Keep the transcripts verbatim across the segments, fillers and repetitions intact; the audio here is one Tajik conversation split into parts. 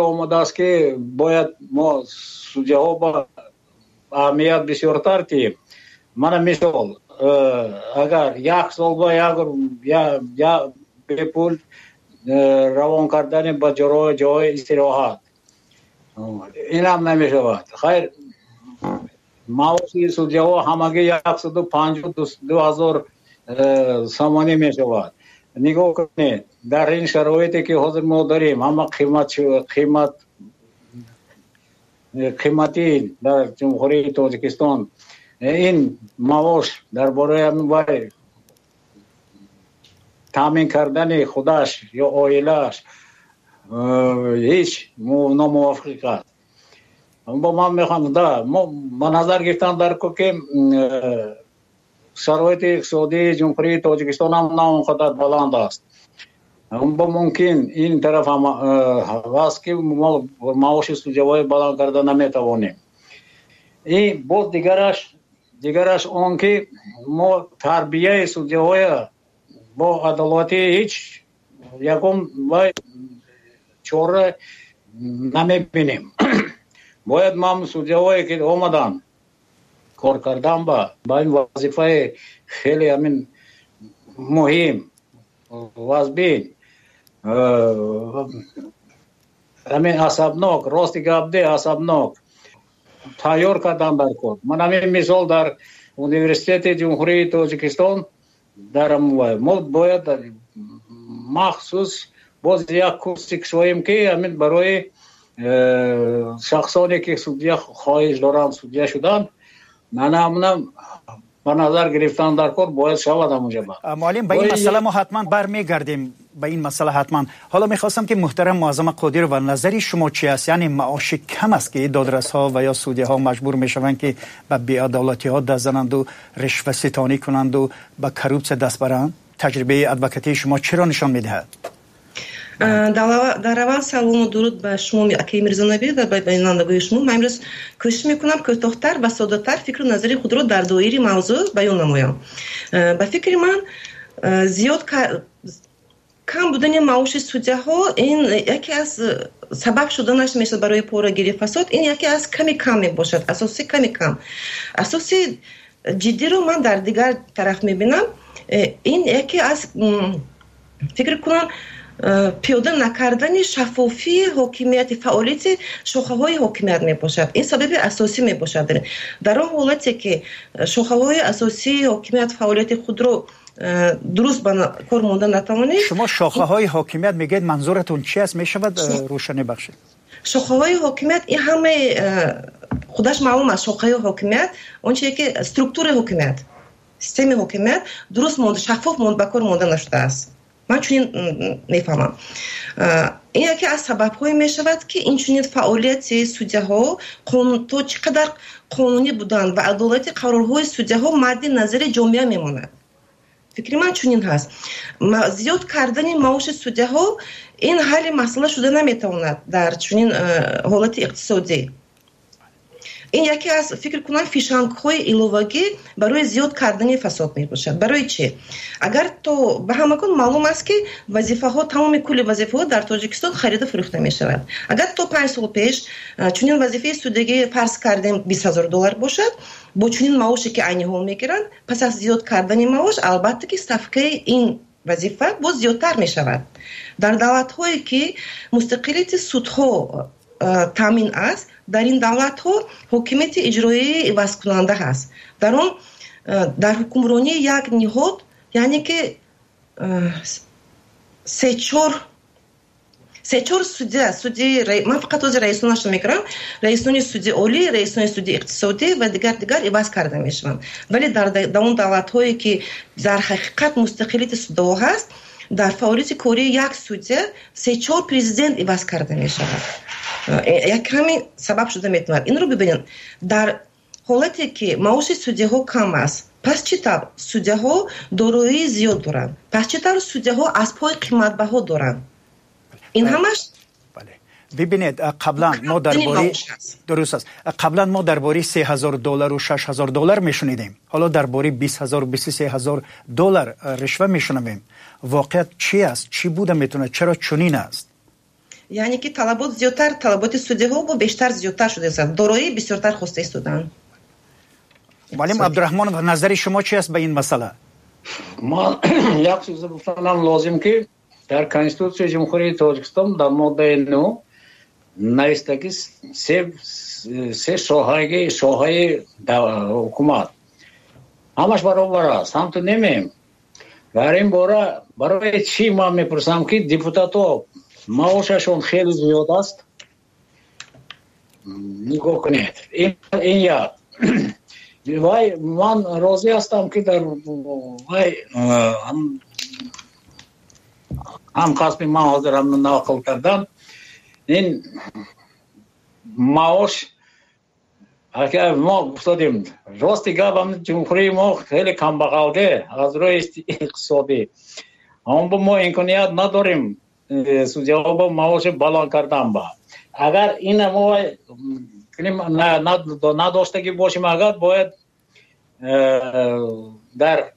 Омадааст, ки бояд мо судяҳо ба аҳамият бисёртар диҳем. Мана мисол, э, агар як сол ба як бепул э, равон кардани ба ҷои истироҳат, инам намешавад. Хайр, маоши судяҳо ҳамагӣ яксаду панҷоҳу ду ҳазор э, сомонӣ мешавад. Нигоҳ кунед, дар ин шароите, ки ҳозир мо дорем, ҳама қимат қимат қиматӣ дар Ҷумҳурии Тоҷикистон, ин маош дар бораи вай таъмин кардани худаш ё оилааш э, ҳеҷ номувофиқ аст. Бо ман мехоҳам да мо ба назар гирифтан дар ко, ки э, шароити иқтисодии Ҷумҳурии Тоҷикистон ҳам на он қадар баланд аст. Бо мумкин ин тараф ҳам э, аст, ки мо маоши судяҳои баланд карда наметавонем. И боз дигараш дигараш он ки мо тарбияи судяҳоя бо адолатӣ ҳеҷ ягон вай чора намебинем. Бояд ман судяҳое, ки омаданд кор кардан ба ба ин вазифаи хеле ҳамин муҳим, вазбин, э, ҳамин асабнок, рости гап де, асабнок тайёр кардан дар кор. Ман ҳамин мисол, дар Университети Ҷумҳурии Тоҷикистон дар мо бояд махсус боз як курси кушоем, ки ҳамин барои э, шахсоне, ки судя хоҳиш доранд судя шудан, мана ҳамна ба назар гирифтан дар кор бояд шавад ҳамонҷа. Муаллим, ба ин масъала мо ҳатман бармегардем, ба ин масъала ҳатман. Ҳоло мехостам, ки муҳтарам Муаззама Қодирова, назари шумо чи аст? Яъне маоши кам аст, ки додрасҳо ва ё судяҳо маҷбур мешаванд, ки ба беадолатиҳо даст зананду ришваситонӣ кунанду ба коррупсия даст баранд? Таҷрибаи адвокатии шумо чиро нишон медиҳад? Дар аввал салому дуруд ба шумо, акаи Мирзонабӣ, ва ба бинандагони шумо. Ман имрӯз кӯшиш мекунам кӯтоҳтар ва соддатар фикру назари худро дар доираи мавзӯъ баён намоям. Ба фикри ман, зиёд кам будани маоши судяҳо ин яке аз сабаб шуданаш мешавад барои порагирӣ, фасод. Ин яке аз ками кам мебошад, асоси ками кам. Асоси ҷиддиро ман дар дигар тараф мебинам. Ин яке аз, фикр кунам, пиёда накардани шаффофии ҳокимияти, фаъолияти шохаҳои ҳокимият мебошад. Ин сабаби асосӣ мебошад. Дар он ҳолате, ки шохаҳои асосии ҳокимият фаъолияти худро дуруст ба кор монда натавонед. Шумо шохаҳои ҳокимият мегӯед, манзуратон чи аст? Мешавад рӯшанӣ бахшед? Шохаҳои ҳокимият ин ҳамаи худаш маълум аст. Шохаҳои ҳокимият он чизе, ки структураи ҳокимият, системаи ҳокимият дуруст монда, шаффоф ба кор монда нашудааст. Ман чунин мефаҳмам. Ин яке аз сабабҳое мешавад, ки инчунин фаъолияти судяҳо то чӣ қадар қонунӣ буданд ва адолати қарорҳои судяҳо мадди назари ҷомеа мемонад. Фикри ман чунин ҳаст: зиёд кардани маоши судяҳо ин ҳалли масъала шуда наметавонад дар чунин ҳолати иқтисодӣ. Ин яке аз, фикр кунам, фишангҳои иловагӣ барои зиёд кардани фасод мебошад. Барои чӣ? Агар то ба ҳамагон маълум аст, ки вазифаҳо, тамоми кулли вазифаҳо дар Тоҷикистон харида фурӯхта мешавад. Агар то панҷ сол пеш чунин вазифаи судягӣ, фарз кардем, бист ҳазор доллар бошад, бо чунин маоше, ки айни ҳол мегиранд, пас аз зиёд кардани маош, албатта ки ставкаи ин вазифа боз зиёдтар мешавад. Дар давлатҳое, ки мустақилияти судҳо таъмин аст, дар ин давлатҳо ҳокимияти иҷроии ивазкунанда ҳаст. Дар он дар ҳукмронии як ниҳод, яъне ки се чор се чор судя, суди, ман фақат ҳозир раисонашро мекунам, раисони суди олӣ, раисони суди иқтисодӣ ва дигар дигар иваз карда мешаванд. Вале дар он давлатҳое, ки дар ҳақиқат мустақилияти судҳо ҳаст, дар фаъолияти кории як судя се чор президент иваз карда мешавад. Як ҳамин сабаб шуда метавонад. Инро бибинед: дар ҳолате, ки маоши судяҳо кам аст, пас чӣ тавр судяҳо дороии зиёд доранд? Пас чӣ тавр судяҳо аспҳои қиматбаҳо доранд? Ин ҳамаш Бибинед, қаблан мо дар бораи, дуруст аст, қаблан мо дар бораи се ҳазор доллару шаш ҳазор доллар мешунидем, ҳоло дар бораи бист ҳазор, бисту се ҳазор доллар ришва мешунавем. Воқеият чи аст? Чӣ буда метавонад? Чаро чунин аст? Яъне ки талабот зиёдтар, талаботи судяҳо бо бештар зиёдтар шудааст, дороӣ бисёртар хоста истоданд. Муаллим Абдурахмонов, назари шумо чи аст ба ин масъала? Ман як чиз гуфтанам лозим, ки дар Конститутсияи Ҷумҳурии Тоҷикистон дар моддаи нӯ нависта, ки се се соҳаги соҳаи ҳукумат ҳамаш баробар аст. Ҳамту немем дар ин бора. Барои чӣ ман мепурсам, ки депутатҳо маошашон хеле зиёд аст? Нигоҳ кунед, ин як вай. Ман розӣ ҳастам, ки дар вай ҳам қасми ман ҳозир ҳам нақл кардам, ин маош мо гуфтодем. Рости гап, ҷумҳурии мо хеле камбағалде аз рӯи иқтисодӣ. Аммо мо имконият надорем э, судяҳо бо маоши баланд кардан. Ба агар ина мо надоштагӣ бошем, агар бояд э, дар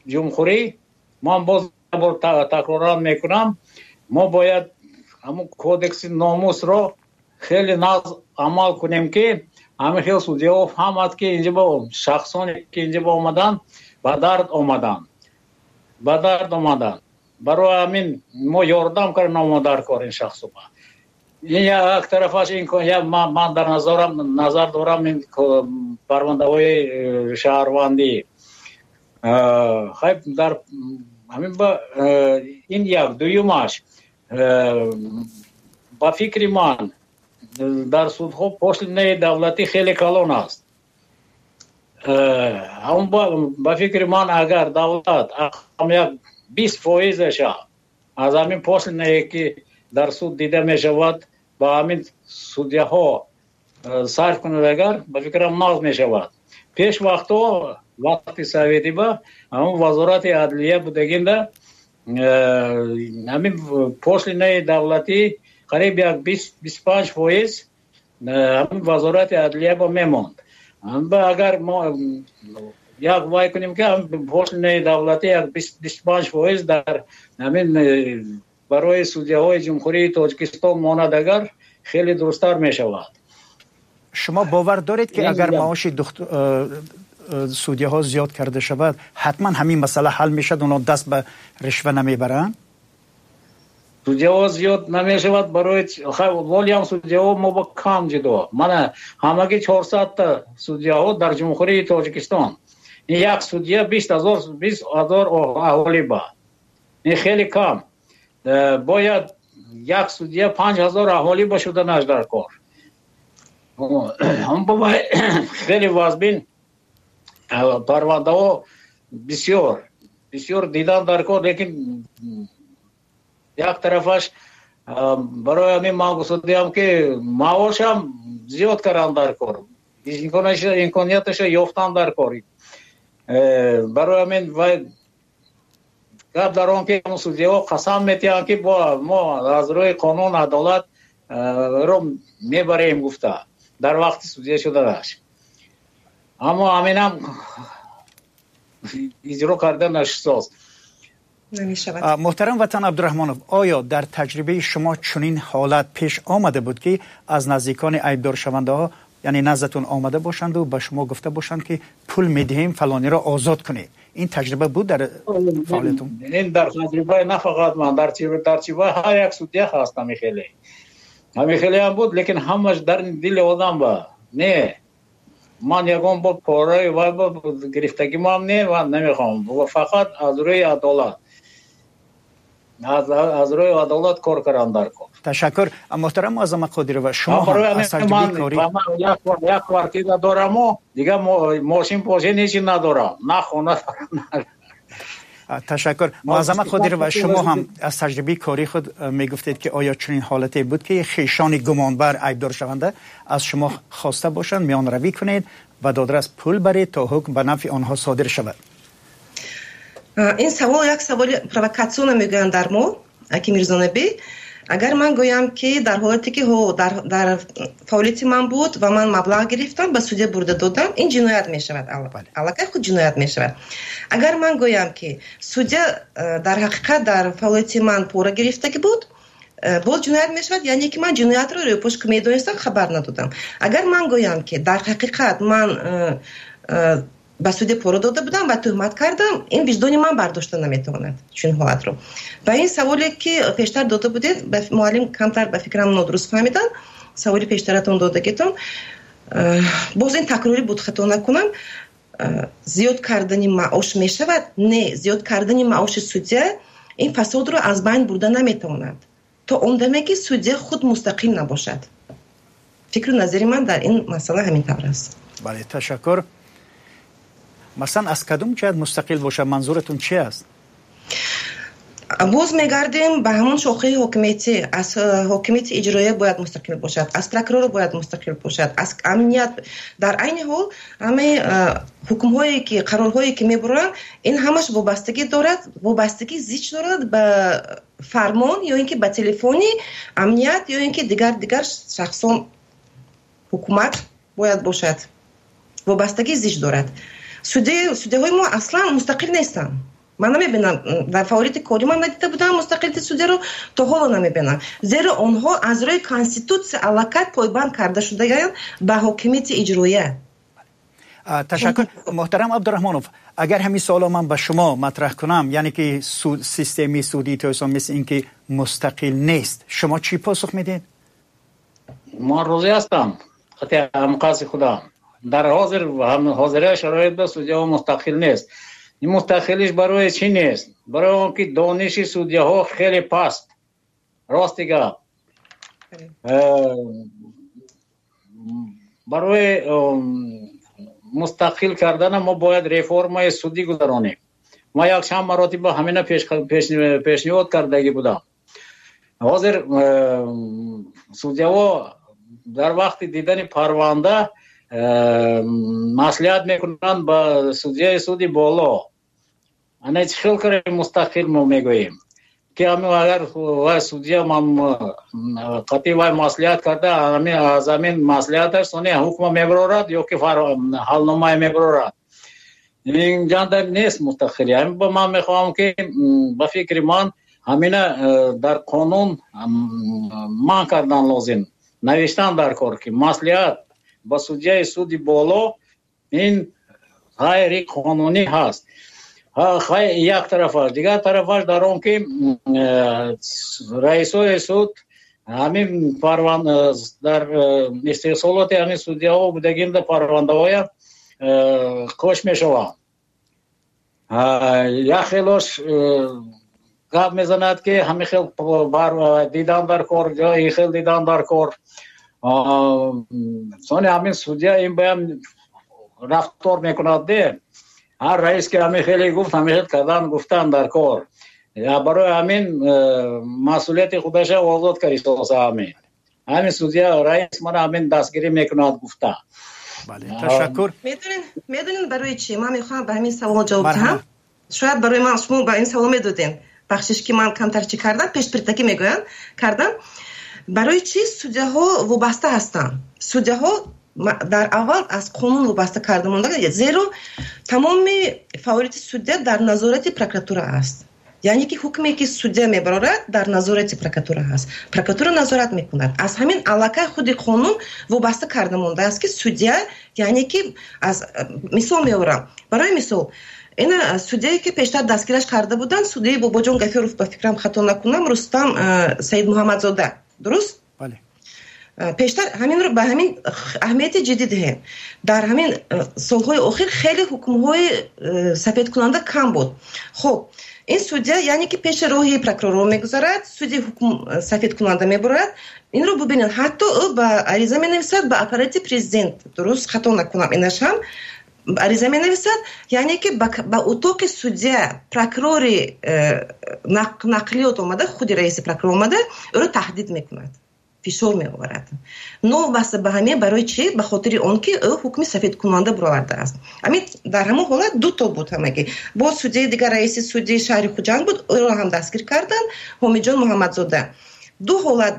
ҷумҳурӣ, ман боз бор такроран мекунам, мо бояд ҳамун кодекси номусро хеле нағз амал кунем, ки ҳамин хел судяҳо фаҳмад, ки инҷа бо шахсоне ки инҷа бо омаданд, ба дард омаданд, ба дард омаданд. Барои ҳамин мо ёрдам кардан дар кор ин шахсоба. Ин як тарафаш. Ман дар назарам назар дорам ин парвандаҳои э, шаҳрвандӣ. Хайб, дар ҳамин ба э, ин як. Дуюмаш, э, ба фикри ман, дар судҳо пошлинаи давлатӣ хеле калон аст. Ба фикри ман, агар давлат як бист фоизаша аз ҳамин пошлинае, ки дар суд дида мешавад, ба ҳамин судяҳо сарф кунад, агар, ба фикрам, нағз мешавад. Пеш вақтҳо, вақти советиба, ҳамон Вазорати адлия будагинда, ҳамин пошлинаи давлатӣ қариб як бисту панҷ фоиз ҳамин Вазорати адлия ба мемонд. Агар мо як вай кунем, ки пошлинаи давлатӣ як бисту панҷ фоиз дар ҳамин барои судяҳои Ҷумҳурии Тоҷикистон монад, агар, хеле дурусттар мешавад. Шумо бовар доред, ки агар маоши судяҳо зиёд карда шавад, ҳатман ҳамин масъала ҳал мешавад, онҳо даст ба ришва намебаранд? Судяҳо зиёд намешавад. Барои волиам судяҳо мо ба кам ҷудо. Мана, ҳамагӣ чорсадта судяҳо дар Ҷумҳурии Тоҷикистон. Ин як судя бист ҳазор бист ҳазор аҳолӣ ба, ин хеле кам. э, бояд як судя панҷ ҳазор аҳолӣ ба шуданаш дар кор. Хеле вазбин парвандаҳо бисёр бисёр дидан дар кор. Лекин як тарафаш, барои ҳамин ман гуфтодиам, ки маошам зиёд кардан дар кор, имконияташа ёфтан дар кор. э, барои ҳамин вай гап дар он, ки судяҳо қасам метиҳанд, ки мо аз рӯи қонун адолат ро мебарем гуфта дар вақти судя шуданаш, аммо ҳаминам иҷро карда нашудааст. Намешавад. Муҳтарам Ватан Абдурахмонов, оё дар таҷрибаи шумо чунин ҳолат пеш омада буд, ки аз наздикони айбдоршавандаҳо, яъне наздатон омада бошанду ба шумо гуфта бошанд, ки пул медиҳем, фалониро озод кунед? Ин таҷриба буд дар фаъолиятон? Ин дар таҷрибаи на фақат ман, дар таҷрибаи ҳар як судя ҳаст. Ҳамин хеле ҳамин хеле ҳам буд, лекин ҳамаш дар дили одам ба не. Ман ягон бор пораи вай гирифтагимам не ва намехоҳам. Фақат аз рӯи адолат, аз рӯи адолат кор кардан дар кор. Ташаккур. Муҳтарам Муаззама Қодирова, шумо ҳам аз таҷрибаи корӣ Як квартира дораму дигар мошин пошин ҳечи надорам, на хона. Ташаккур. Муаззама Қодирова, шумо ҳам аз таҷрибаи кории худ мегуфтед, ки оё чунин ҳолате буд, ки хешони гумонбар, айбдоршаванда аз шумо хоста бошанд, миёнравӣ кунед ва додрас пул баред, то ҳукм ба нафъи онҳо содир шавад? Ин савол як саволи провокатсионно мегӯянд дар мо, аки Мирзонабӣ. Агар ман гӯям, ки дар ҳолате ки ҳо, дар, дар фаъолияти ман буд ва ман маблағ гирифтам, ба судя бурда додам, ин ҷиноят мешавад, аллакай худ ҷиноят мешавад. Агар ман гӯям, ки судя э, дар ҳақиқат дар фаъолияти ман пора гирифтагӣ буд, Боз ҷиноят мешавад, яъне ки ман ҷиноятро рӯйпӯш ки медонистам, хабар надодам. Агар ман гӯям, ки дар ҳақиқат ман ба суде пора дода будам ва туҳмат кардам, ин виҷдони ман бардошта наметавонад чунин ҳолатро. Ва ин саволе ки пештар дода будед, муаллим камтар ба фикрам нодуруст фаҳмиданд, саволи пештаратон додагитон, боз ин такрорӣ буд, хато накунам. Зиёд кардани маош мешавад? Не, зиёд кардани маоши судя ин фасодро аз байн бурда наметавонад, то он даме ки судя худ мустақил набошад. Фикру назари ман дар ин масъала ҳамин тавр аст. Бале, ташаккур. Масалан, аз кадом ҷиҳат мустақил бошад, манзуратон чи аст? Боз мегардем ба ҳамон шохаи ҳокимияти. Аз ҳокимияти иҷроия бояд мустақил бошад, аз прокурор бояд мустақил бошад, аз амният. Дар айни ҳол ҳамаи ҳукмҳое ки, қарорҳое ки мебуранд, ин ҳамаш вобастагӣ дорад, вобастагӣ зич дорад ба фармон ё ин ки ба телефони амният ё ин ки дигар дигар шахсон. Ҳукумат бояд бошад, вобастагӣ зич дорад. Судяҳои мо аслан мустақил нестанд. Ман намебинам, дар фаъолияти кори ман надида будам мустақилияти судяро, то ҳоло намебинам, зеро онҳо аз рӯи конститутсия аллакай пойбанд карда шудаанд ба ҳокимияти иҷроия. Ташаккур. Муҳтарам Абдураҳмонов, агар ҳамин суолро ман ба шумо матраҳ кунам, яъне ки системаи судии Тоҷикистон мисли ин ки мустақил нест, шумо чӣ посух медиҳед? Ман розӣ ҳастам қати ҳамқаси худам. Дар ҳозир ҳозира шароит ба судяҳо мустақил нест. Ин мустақилиш барои чӣ нест? Барои он ки дониши судяҳо хеле паст. Рости гап, барои мустақил кардана мо бояд реформаи судӣ гузаронем. Ма якчанд маротиба ҳамина пешниҳод кардагӣ будам. Ҳозир судяҳо дар вақти дидани парванда маслиҳат мекунанд ба судяи суди боло. Ана чӣ хел кардем мустақил мо мегӯем, ки агар вай судя ман қатъи вай маслиҳат карда, аз ҳамин маслиҳаташ сони ҳукма мебарорад ё ки ҳалномае мебарорад. Ин ҷанда нест мустақилӣ. Ҳамин ба ман мехоҳам ки ба фикри ман ҳамина дар қонун манъ кардан лозим, навиштан дар кор ки маслиҳат ба судяи суди боло ин ғайриқонунӣ ҳаст. Як тарафаш, дигар тарафаш дар он ки раисои суд ҳамин парванд дар истеҳсолоти ҳамин судяҳо будагинда парвандаҳоя қӯш мешаванд. Як хелош гап мезанад ки ҳамин хел дидан дар кор, ин хел дидан дар кор. Сони ҳамин судя ин баям рафтор мекунад де. Ҳар раис ки ҳамин хеле гуфт, ҳамин хел кардан гуфтан дар кор. Барои ҳамин масъулияти худаша озод каристоса ҳамин. Ҳамин судя раис мана ҳамин дастгирӣ мекунад гуфта. Бале, ташаккур. Медонин, медонин барои чӣ? Ман мехоҳам ба ҳамин савол ҷавоб диҳам. Шояд барои ман шумо ба ин савол медоден. Бахшиш ки ман камтар чӣ кардам, пешпиртакӣ мегӯянд, кардам. Барои чӣ судяҳо вобаста ҳастанд? Судяҳо дар аввал аз қонун вобаста карда монда, зеро тамоми фаъолияти судя дар назорати прокуратура аст. Яъне ки ҳукме ки судя мебарорад дар назорати прокуратура ҳаст. Прокуратура назорат мекунад. Аз ҳамин аллакай худи қонун вобаста карда мондааст ки судя, яъне ки аз мисол меорам. Барои мисол, ина судяе ки пештар дастгираш карда буданд, судяи Бобоҷон Гафуров, ба фикрам хато накунам, Рустам Саидмуҳаммадзода. Дуруст? Бале. Пештар ҳаминро ба ҳамин аҳамияти ҷиддӣ диҳем. Дар ҳамин солҳои охир хеле ҳукмҳои сафедкунанда кам буд. Хуб, ин судя яъне ки пеши роҳи прокурорро мегузарад, суди ҳукм сафедкунанда мебурад. Инро бубинед, ҳатто ӯ ба ариза менависад ба аппарати президент. Дуруст, хато накунам, инаш ҳам ариза менависад, яъне ки ба утоқи судя прокурори нақлиёт омада, худи раиси прокурор омада, ӯро таҳдид мекунад, фишор меоварад. Новобаста ба ҳамин барои чӣ? Ба хотири он ки ӯ ҳукми сафедкунанда баровардааст. Ҳамин дар ҳамон ҳолат ду то буд ҳамагӣ. Боз судяи дигар раиси суди шаҳри Хуҷанд буд, ӯро ҳам дастгир карданд, Ҳомиҷон Муҳаммадзода. Ду ҳолат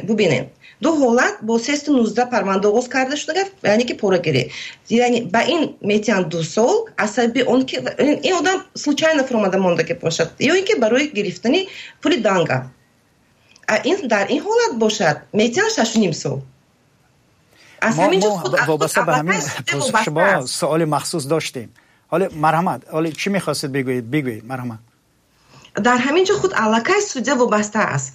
бубинед. Ду ҳолат бо сесаду нуздаҳ парванда оғоз карда шуда, яъне ки порагирӣ. Яъне ба ин метиҳанд ду сол аз сабаби он ки ин одам случайно фуромада мондагӣ бошад, ё ин ки барои гирифтани пули данга. Ин дар ин ҳолат бошад, метиҳанд шашу ним сол. Аз ҳамин ҷо худ вобаста ба ҳамин посухи шумо суоли махсус доштем. Ҳоло марҳамат, ҳоло чӣ мехостед бигӯед? Бигӯед, марҳамат. Дар ҳамин ҷо худ аллакай судья вобаста аст.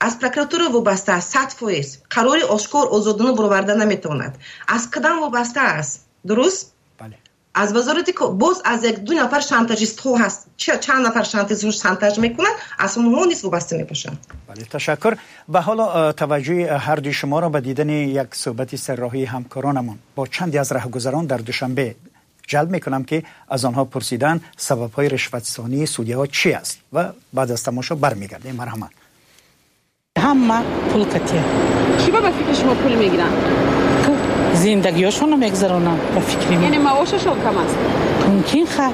Аз прокуратура вобаста аст, сад фоиз. Қарори ошкор озодона бароварда наметавонад. Аз қадам вобаста аст. Дуруст? Бале. Аз вазорати боз аз як ду нафар шантажистҳо ҳаст. Чанд нафар шантажист шантаж мекунанд, аз онҳо низ вобаста мебошанд. Бале, ташаккур. Ва ҳоло таваҷҷӯҳи ҳар дуи шуморо ба дидани як суҳбати сарроҳии ҳамкоронамон бо чанде аз раҳгузарон дар Душанбе ҷалб мекунам, ки аз онҳо пурсидан сабабҳои ришватсонии судяҳо чӣ аст ва баъд аз тамошо бармегардем. Марҳамат. Ҳама пул катия. Чӣ ба фикри шумо пул мегиранд? Зиндагиашонро мегузаронанд ба фикри ман. Яъне маошашон кам аст? Мумкин ха.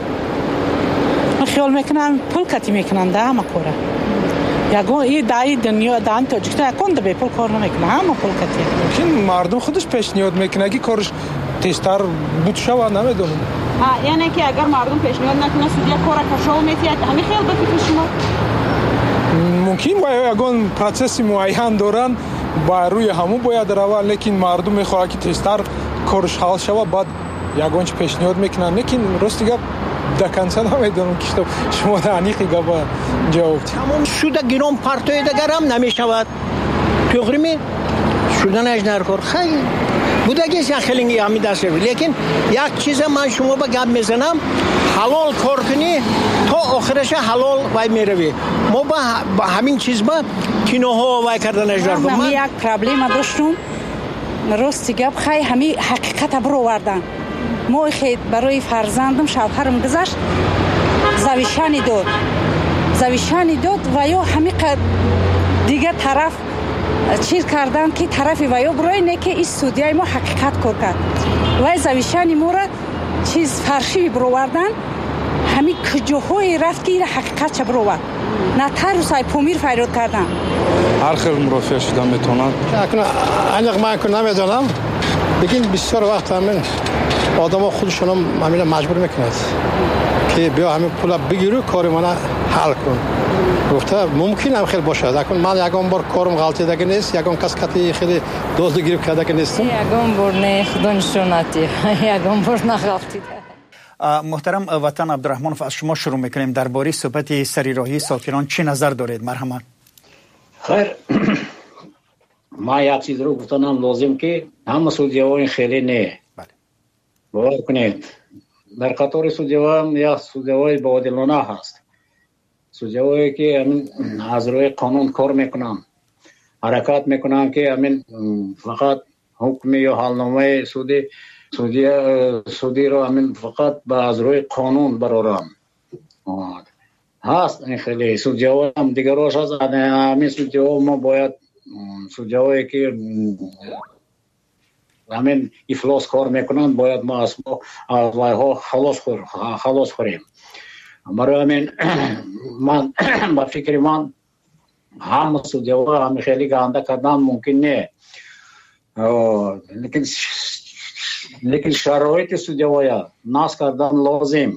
Ман хиёл мекунам пул кати мекунанд ҳама кора. Ягон и даи дунё даи Тоҷикистон ягон да бепул кор намекунад, ҳама пул кати. Мумкин мардум худаш пешниҳод мекунад, ки кораш тезтар буд шавад, намедонам. Яъне ки агар мардум пешниҳод накунад, судья кора кашол метиҳад. Ҳамин хел ба фикри шумо? Мумкин ва ягон процесси муайян доранд, ба рӯи ҳамун бояд раванд, лекин мардум мехоҳад, ки тезтар кораш ҳал шавад, баъд ягон чи пешниҳод мекунанд. Лекин рости гап до конца намедонам, ки шумо аниқи гапа ҷавоб диҳед. Тамом шуда гирон партоидагарам намешавад. Тоғрими шуданаш дар кор. Хай будагист як хелинги ҳами даст. Лекин як чиза ман шумо ба гап мезанам, ҳалол кор кунӣ то охираша ҳалол вай меравӣ. Мо ба ҳамин чиз ба киноҳо вай карданаш дар кор. Ман як проблема доштум. Рости гап хай ҳами ҳақиқата баровардан. Мо хе барои фарзандам шавҳарам гузашт, завишани дод. Завишани дод ва ё ҳами дигар тараф чиз кардан, ки тарафи ва ё барои не ки ин судяи мо ҳақиқат кор кард. Вай завишани моро чиз фаршиви баровардан, ҳамин куҷоҳое рафт, ки ира ҳақиқатша баровард. Нотариус ай Помир фарёд кардан. Ҳар хел мурофиа шуда метавонад. Аниқ ман намедонам, лекин бисёр вақт ҳамин одамо худашонам ҳамина маҷбур мекунад, ки биё ҳамин пула бигиру кори мана ҳал кун. Гуфта мумкин ҳам хел бошад. Акун ман ягон бор корум ғалтидаги нест, ягон кас кати хеле дозду гирифт кардаги нестам. Ягон бор не, худо нишонати. Ягон бор нағалтида. Муҳтарам Ватан Абдураҳмонов, аз шумо шурӯъ мекунем. Дар бораи суҳбати сари роҳии сокинон чӣ назар доред? Марҳамат. Хайр, ман як чизро гуфтанам лозим, ки ҳама судяҳо ин хеле не. Бовар кунед, дар қатори судяҳо як судяҳои боодилона ҳаст. Судяҳое ки ҳамин аз рӯи қонун кор мекунанд, ҳаракат мекунанд, ки ҳамин фақат ҳукми ё ҳалномаи суди судия судиро ҳамин фақат ба аз рӯи қонун бароранд. Ҳаст ин хеле судяҳо ҳам дигарош ҳаст. Ҳамин судяҳо мо бояд судяҳое ки ҳамин ифлос кор мекунанд, бояд мо аз аз вайҳо халос халос хӯрем. Барои ҳамин ман ба фикри ман ҳама судяҳо ҳамин хеле ганда кардан мумкин не. Лекин лекин шароити судяҳоя нас кардан лозим.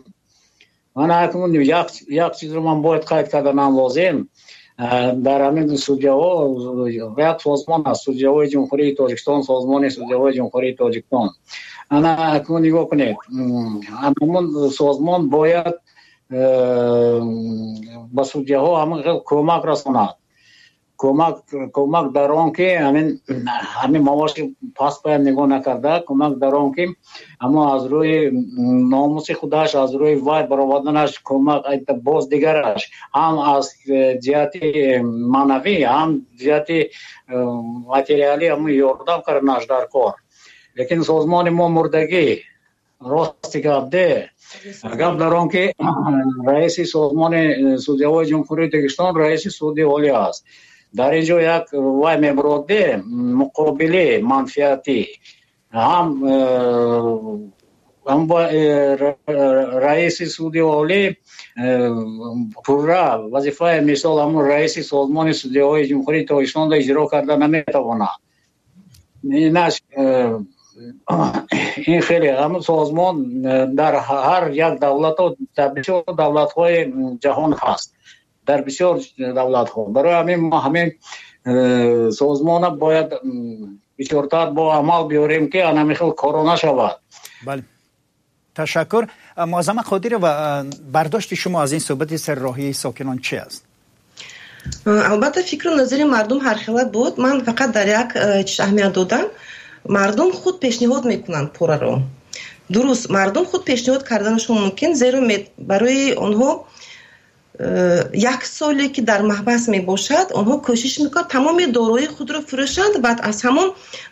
Ман акнун як як чизро ман бояд қайд карданам лозим. Дар ҳамин судяҳо як созмон аст, судяҳои Ҷумҳурии Тоҷикистон, созмони судяҳои Ҷумҳурии Тоҷикистон. Ана акнун нигоҳ кунед, ҳамон созмон бояд ба судяҳо ҳамин хел кӯмак расонад. Кӯмак кӯмак дар он ки ҳамин ҳамин маоши паст бояд нигоҳ накарда, кӯмак дар он ки аммо аз рӯи номуси худаш, аз рӯи вай бароварданаш кӯмак боз дигараш ҳам аз ҷиҳати маънавӣ, ҳам ҷиҳати материалӣ ҳамун ёрдам карданаш дар кор. Лекин созмони мо мурдагӣ, рости гап де. Гап дар он ки раиси созмони судяҳои Ҷумҳурии Тоҷикистон раиси суди олӣ аст. Дар ин ҷо як вай мебуроде муқобили манфиатӣ ҳам ҳам раиси суди олӣ пурра вазифаи мисол ҳамун раиси созмони судяҳои Ҷумҳурии Тоҷикистонро иҷро карда наметавонад. Инаш ин хеле ҳамун созмон дар ҳар як давлатҳо, дар бисёр давлатҳои ҷаҳон ҳаст, дар бисёр давлатҳо. Барои ҳамин мо ҳамин Созмона бояд бисёртар бо амал биёрем, ки ана ҳамин хел коро нашавад. Бале, ташаккур. Муаззама Қодирова, бардошти шумо аз ин суҳбати сарроҳии сокинон чи аст? Албатта, фикру назари мардум ҳархела буд. Ман фақат дар як чиз аҳамият додам: мардум худ пешниҳод мекунанд пораро. Дуруст, мардум худ пешниҳод карданашон мумкин, зеро барои онҳо як соле ки дар маҳбас мебошад, онҳо кӯшиш мекунанд тамоми дороии худро фурӯшанд, баъд аз ҳамон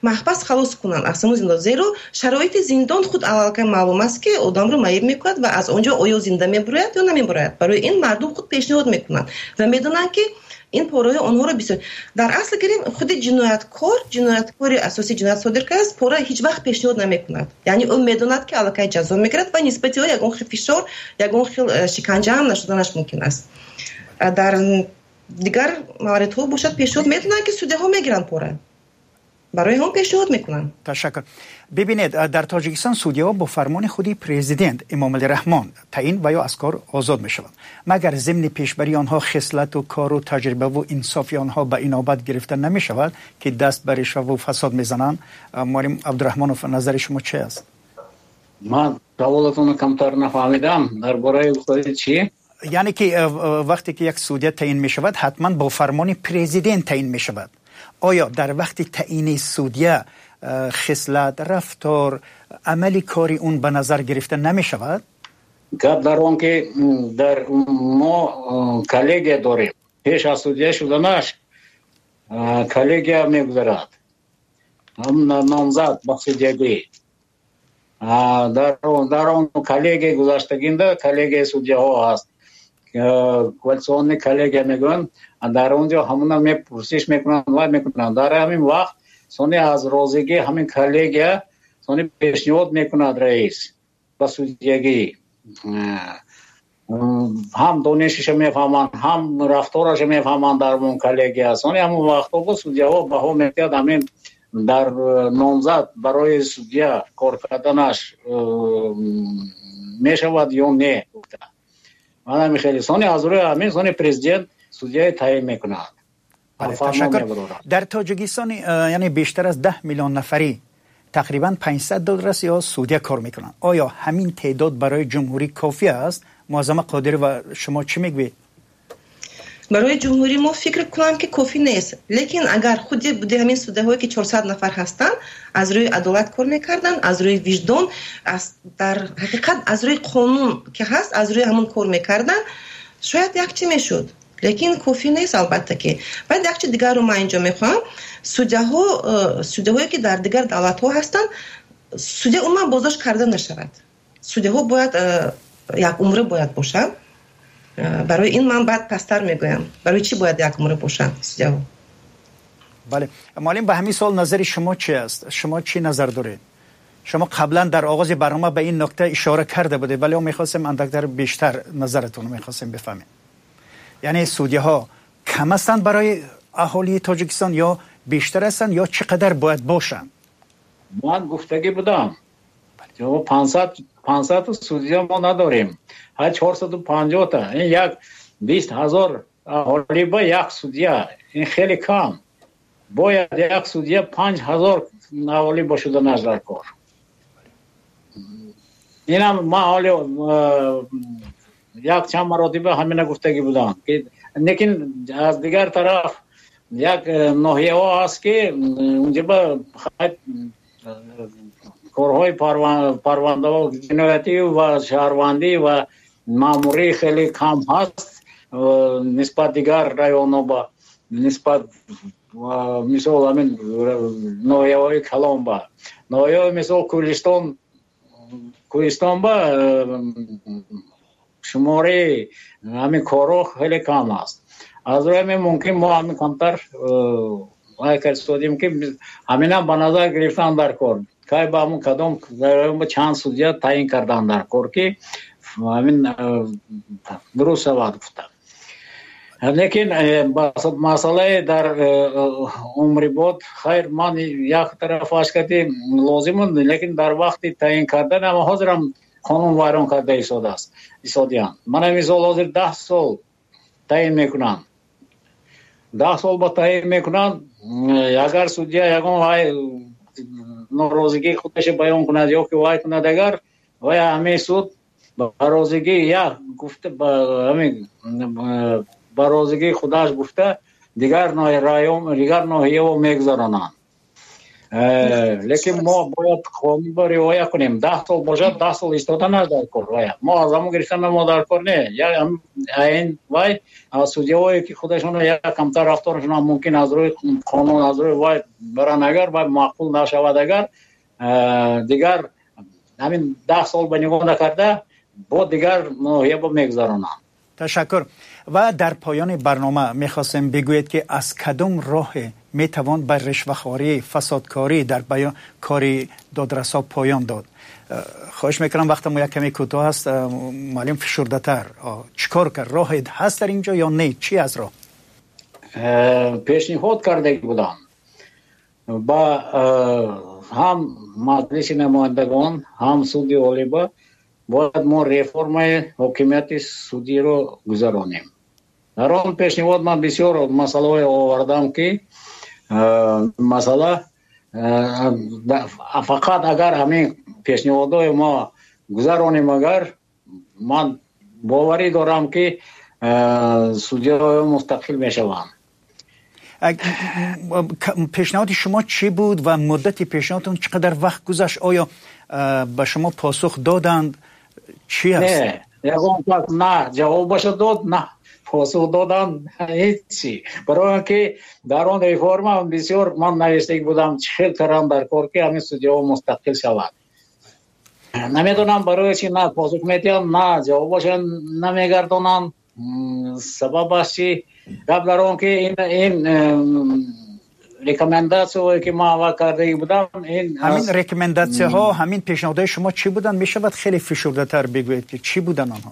маҳбас халос кунанд, аз ҳамон зиндон, зеро шароити зиндон худ аллакай маълум аст, ки одамро маиб мекунад ва аз он ҷо оё зинда мебурояд ё намебурояд. Барои ин мардум худ пешниҳод мекунанд ва медонанд, ки ин пораҳои онҳоро бисёр. Дар асл гирем, худи ҷинояткор, ҷинояткори асосӣ ҷиноят содир кардааст, пора ҳеҷ вақт пешниҳод намекунад. Яъне ӯ медонад, ки аллакай ҷазо мегирад ва нисбати ӯ ягон хел фишор, ягон хел шиканҷа ҳам нашуданаш мумкин аст. Дар дигар мавридҳо бошад, пешниҳод медонанд, ки судяҳо мегиранд пора, барои ҳам пешниҳод мекунанд. Ташаккур. Бибинед, дар Тоҷикистон судяҳо бо фармони худи президент Эмомалӣ Раҳмон таъин ва ё аз кор озод мешаванд. Магар зимни пешбарии онҳо хислату кору таҷрибаву инсофи онҳо ба инобат гирифта намешавад, ки даст ба ришваву фасод мезананд? Муаллим Абдураҳмонов, назари шумо чи аст? Ман саволатонро камтар нафаҳмидам. Дар бораи гуфтаи чӣ? Яъне ки вақте ки як судя таъин мешавад, ҳатман бо фармони президент таъин мешавад. Оё дар вақти таъини судя хислат, рафтор, амали кори он ба назар гирифта намешавад? Гап дар он, ки дар мо коллегия дорем. Пеш аз судя шуданаш коллегия мегузарад номзад ба судягӣ. Дар он коллегия гузаштагинда, коллегияи судяҳо ҳаст, квалификационный коллегия мегӯянд, дар он ҷо ҳамона мепурсиш мекунанд, вай мекунанд. Дар ҳамин вақт сони аз розигии ҳамин коллегия сони пешниҳод мекунад раис ба судягӣ. Ҳам донишиша мефаҳманд, ҳам рафтораша мефаҳманд дар он коллегия. Сони ҳамон вақтҳо бо судяҳо баҳо медиҳад, ҳамин дар номзад барои судя кор карданаш мешавад ё не. Ман ҳамин хеле сони аз рӯи ҳамин сони президент судяи таъин мекунад. Ташаккур. Дар Тоҷикистон, яъне бештар аз даҳ миллион нафарӣ, тақрибан панҷсад додрас ё судя кор мекунанд. Оё ҳамин теъдод барои ҷумҳурӣ кофӣ аст? Муаззама Қодирова, шумо чӣ мегӯед? Барои ҷумҳурӣ мо фикр кунам, ки кофӣ нест, лекин агар худи буди ҳамин судяҳое, ки чорсад нафар ҳастанд, аз рӯи адолат кор мекарданд, аз рӯи виҷдон, дар ҳақиқат аз рӯи қонун ки ҳаст, аз рӯи ҳамон кор мекарданд, шояд як чӣ мешуд, лекин кофӣ нест, албатта ки. Баъд як чи дигарро ман инҷо мехоҳам: судяҳо, судяҳое ки дар дигар давлатҳо ҳастанд, судя умуман боздошт карда нашавад. Судяҳо бояд як умра бояд бошанд. Барои ин ман баъд пасттар мегӯям, барои чӣ бояд як умра бошанд судяҳо. Бале, муаллим, ба ҳамин савол назари шумо чи аст? Шумо чӣ назар доред? Шумо қаблан дар оғози барнома ба ин нукта ишора карда будед, вале мехостем андактар бештар назаратонро мехостем бифаҳмем. Яъне судяҳо кам ҳастанд барои аҳолии Тоҷикистон ё бештар ҳастанд, ё чӣ қадар бояд бошанд? Ман гуфтагӣ будам, панҷсад судя мо надорем, ҳа, чорсаду панҷоҳта. Ин як бист ҳазор аҳолӣ ба як судя, ин хеле кам. Бояд як судя панҷ ҳазор аҳолӣ бошуданаш дар кор. Инам ман ҳоле як чанд маротиба ҳамина гуфтагӣ будам. Лекин аз дигар тараф як ноҳияҳо ҳаст, ки унҷа корҳои парвандаҳо ҷиноятӣ ва шаҳрвандӣ ва маъмурӣ хеле кам ҳаст нисбат дигар районҳо, ба нисбат мисол ҳамин ноҳияҳои калон, ба ноҳияҳои мисол Кӯлистон. Кӯҳистон ба шумораи ҳамин корҳо хеле кам аст. Аз рӯи ҳамин мумкин мо ҳамин камтар вай кардем, ки ҳаминам ба назар гирифтан дар кор, кай ба ҳамун кадом чанд судя таъин кардан дар кор, ки ҳамин дуруст шавад гуфта. Лекин масъалаи дар умрибод, хайр, ман як тарафаш кати лозим, лекин дар вақти таъин кардан ама ҳозирам қонун вайрон карда истодааст, истодиянд. Мана мисол, ҳозир даҳ сол таъин мекунанд. Даҳ сол ба таъин мекунанд. Агар судья ягон вай норозигии худаш баён кунад ё ки вай кунад, агар вай ҳамин суд ба розигӣ як гуфта, ҳамин ба розигии худаш гуфта дигар район, дигар ноҳияво мегузаронанд. Лекин мо бояд қонунро риоя кунем. Даҳ сол бошад, даҳ сол истоданаш дар кор. Мо аз ҳамон гирифтан мо дар кор не. Ин вай судьяҳое ки худашон як камтар рафторашон мумкин аз рӯи қонун, аз рӯи вай баранд, агар вай маъқул нашавад, агар дигар ҳамин даҳ сол ба нигоҳ накарда бо дигар ноҳия мегузаронанд. Ташаккур. Ва дар поёни барнома мехостем бигӯед ки аз кадом роҳе метавон ба ришвахорӣ, фасодкорӣ дар баён кори додрасҳо поён дод? Хоҳиш мекунам, вақти мо як каме кӯтоҳ аст, муаллим фишурдатар. Чикор кард? Роҳе ҳаст дар инҷо ё не? Чӣ аз роҳ? Пешниҳод карда будам ба ҳам маҷлиси намояндагон, ҳам суди олиба, бояд мо реформаи ҳокимияти судиро гузаронем. Дар он пешниҳод ман бисёр масъалаҳое овардам ки масъала фақат агар ҳамин пешниҳодҳои мо гузаронем, агар ман боварӣ дорам ки судиҳо мустақил мешаванд. Пешниҳоди шумо чӣ буд ва муддати пешниҳодтон чӣ қадар вақт гузашт? Оё ба шумо посух доданд? Чӣ аст? Не, ягон кас на ҷавобашо дод, на посух доданд, ҳечи. Барои он ки дар он реформа бисёр ман навиштагӣ будам, чӣ хел кардам дар кор ки ҳамин судиҳо мустақил шавад. Намедонам барои чӣ на посух медиҳанд, на ҷавобашо намегардонанд. Сабабаш чӣ? Гап дар он ки ин ин рекомендатсияҳое ки ман аввал кардагӣ будам, ин ҳамин рекомендатсияҳо, ҳамин пешниҳодҳои шумо чӣ буданд? Мешавад хеле фишурдатар бигӯед ки чӣ буданд онҳо?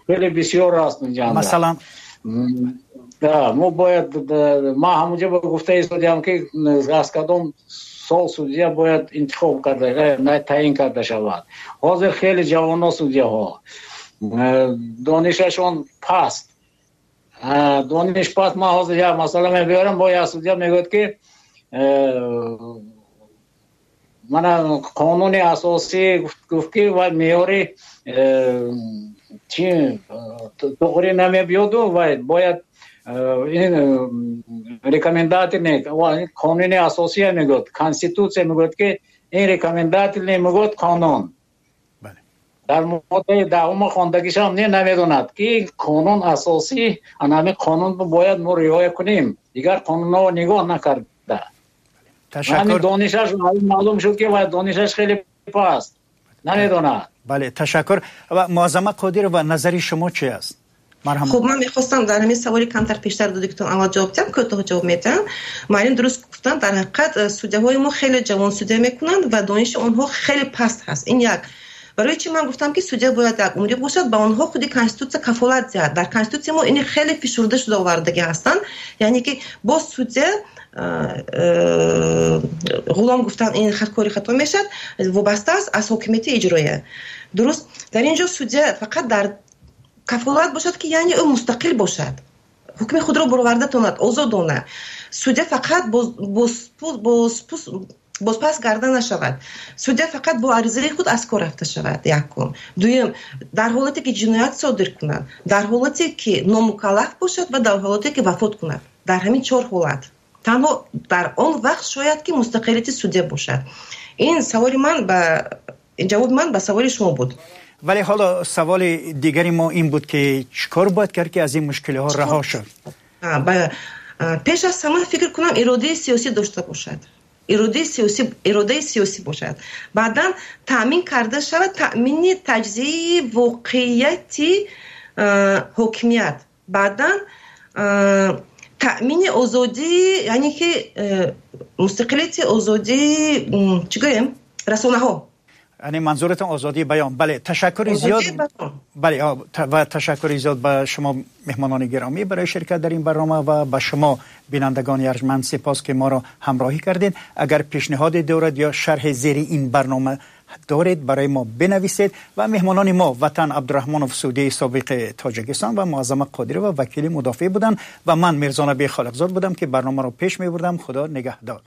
Хеле бисёр аст инҷо. Масалан? Мо бояд, ман ҳамонҷо гуфта истодиам ки аз кадом сол судья бояд интихоб карда, таъин карда шавад. Ҳозир хеле ҷавонҳо судьяҳо донишашон паст. Дониш паст. Ман ҳозир як масъала мебиёрам, бо як судья мегӯяд ки мана қонуни асосӣ гуфт ки вай меъёри чи туғри намебиёду вай бояд ин рекомендательный қонуни асосия мегӯяд, конститутсия мегӯяд ки ин рекомендательный мегӯяд қонун. Дар моддаи даҳума хондагишам не намедонад ки қонун асосӣ, ана ҳамин қонун бояд мо риоя кунем, дигар қонунҳо нигоҳ накарда. Ташаккур. Донишаш маълум шуд ки вай донишаш хеле паст, намедонад. Бале, ташаккур. Ва Муаззама Қодирова, назари шумо чӣ аст? Хуб, ман мехостам дар ҳамин саволи камтар пештар додагитон аввал ҷавоб диҳам, кӯтоҳ ҷавоб медиҳам. Муаллим дуруст гуфтанд, дар ҳақиқат судяҳои мо хеле ҷавон судя мекунанд ва дониши онҳо хеле паст ҳаст. Ин як. Барои чӣ ман гуфтам ки судя бояд як умрӣ бошад, ба онҳо худи конститутсия кафолат диҳад. Дар конститутсия мо ини хеле фишурда шуда овардагӣ ҳастанд, яъне ки боз судя ғулом гуфтан ин кори хато мешавад, вобаста аст аз ҳокимияти иҷроия. Дуруст, дар ин ҷо судя фақат дар кафолат бошад ки яъне ӯ мустақил бошад, ҳукми худро бароварда тонад, озодона. Судя фақат бозпас гарда нашавад. Судя фақат бо аризаи худ аз кор рафта шавад. Якум. Дуюм, дар ҳолате ки ҷиноят содир кунад, дар ҳолате ки номукаллаф бошад ва дар ҳолате ки вафот кунад. Дар ҳамин чор ҳолат танҳо дар он вақт шояд ки мустақилияти судя бошад. Ин саволи ман ба ҷавоби ман ба саволи шумо буд. Вале ҳоло саволи дигари мо ин буд ки чӣ кор бояд кард ки аз ин мушкилиҳо раҳо шуд? Пеш аз ҳама фикр кунам иродаи сиёсӣ дошта бошад. Иродаи сиёсӣ, иродаи сиёсӣ бошад. Баъдан таъмин карда шавад таъмини таҷзияи воқеияти ҳокимият. Баъдан таъмини озодӣ, яъне ки мустақилияти озодии чӣ гӯем, расонаҳо. Яъне манзуратон озодии баён. Бале, ташаккури зиёд. Бале, ва ташаккури зиёд ба шумо меҳмонони гиромӣ барои ширкат дар ин барнома ва ба шумо бинандагони арҷманд сипос ки моро ҳамроҳӣ кардед. Агар пешниҳоде дорад ё шарҳи зери ин барнома доред барои мо бинависед. Ва меҳмонони мо Ватан Абдурраҳмонов, судяи собиқи Тоҷикистон, ва Муаззама Қодирова, вакили мудофеъ буданд ва ман Мирзонаби Холиқзод будам, ки барномаро пеш мебурдам. Худо нигаҳдор.